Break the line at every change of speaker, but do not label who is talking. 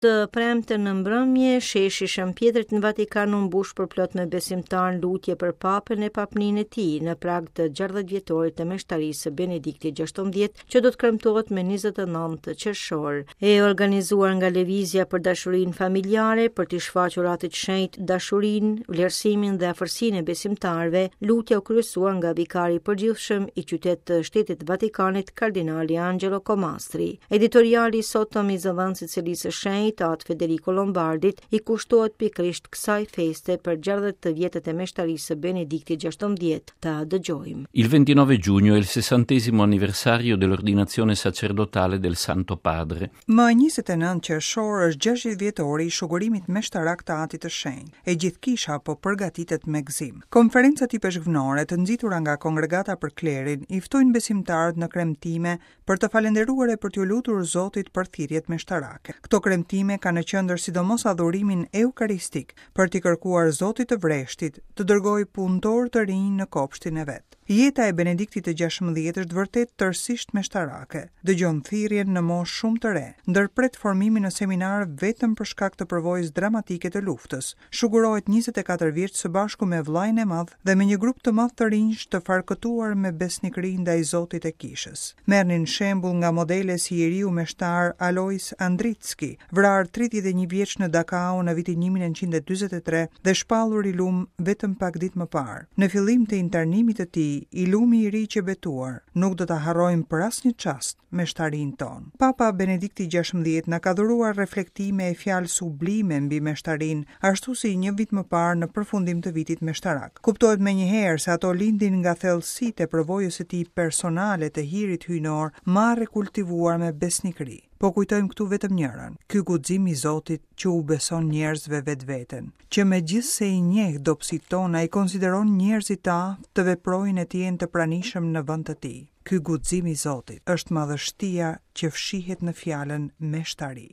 Të premten në mbrëmje, sheshi i Shën Pjetrit në Vatikan u mbush përplot me besimtarë në lutje për Papën e Papninë e tij në prag të 60 vjetorit të meshtarisë së Benediktit XVI, që do të kremtohet me 29 qershor. E organizuar nga Lëvizja për Dashurinë Familjare për t'i shfaqur Atit të Shenjtë dashurinë, vlerësimin dhe afërsinë e besimtarëve, lutja u kryesua nga vikari i përgjithshëm i qytet të Shtetit të Vatikanit, kardinali Angelo Comastri. Editoriali i sotëm i zëdhënësit të Selisë së Shenjtë, At Federico Lombardit, i kushtohet pikërisht kësaj feste për 60 vjetët e meshtarisë së Benediktit XVI. Ta dëgjojmë.
Il 29 giugno è il sessantesimo anniversario dell'ordinazione sacerdotale del Santo Padre.
Më 29 qershor është 60 vjetori i shugurimit meshtarak të Atit të Shenjtë. E gjithë kisha po përgatitet me gëzim. Konferencat ipeshkvnore të nxitura nga Kongregata për Klerin i ftojnë besimtarët në kremtime për të falënderuar e për t'iu lutur Zotit për thirrjet meshtarake. Këto kremtime kanë në qendër sidomos adhurimin eukaristik, për t'i kërkuar Zotit të vreshtit të dërgojë punëtorë të rinj në kopshtin e vet. Jeta e Benediktit të XVI është vërtet tërësisht meshtarake. Dëgjon thirrjen në moshë shumë të re, ndërpret formimin në seminar vetëm për shkak të përvojës dramatike të luftës, Shugurohet 24 vjeç së bashku me vëllain e madh dhe me një grup të madh të rinjsh të farkëtuar me besnikëri ndaj Zotit e Kishës. Merrnin shembull nga modele si i riu meshtar Alois Andritzky, vrarë 31 vjeç në Dakau në vitin 1943 dhe shpallur i lum vetëm pak ditë më parë. Në fillim të internimit të tij, i lumi i ri qe betuar, nuk do ta harrojmë për asnjë çast meshtarin tonë. Papa Benedikti XVI na ka dhuruar reflektime e fjalë sublime mbi meshtarinë, ashtu si një vit më parë në përfundim të vitit meshtarak. Kuptohet menjëherë se ato lindin nga thellësitë e përvojës së tij personale të hirit hyjnor, marrë e kultivuar me besnikëri. Po kujtojmë këtu vetëm njërën, ky guxim i Zotit që u beson njerëzve vetveten, që megjithëse i njeh dobësitë tona, i konsideron njerëzit të aftë të veprojnë e të jenë të pranishëm në vend të tij. Ky guxim i Zotit është madhështia që fshihet në fjalën meshtari.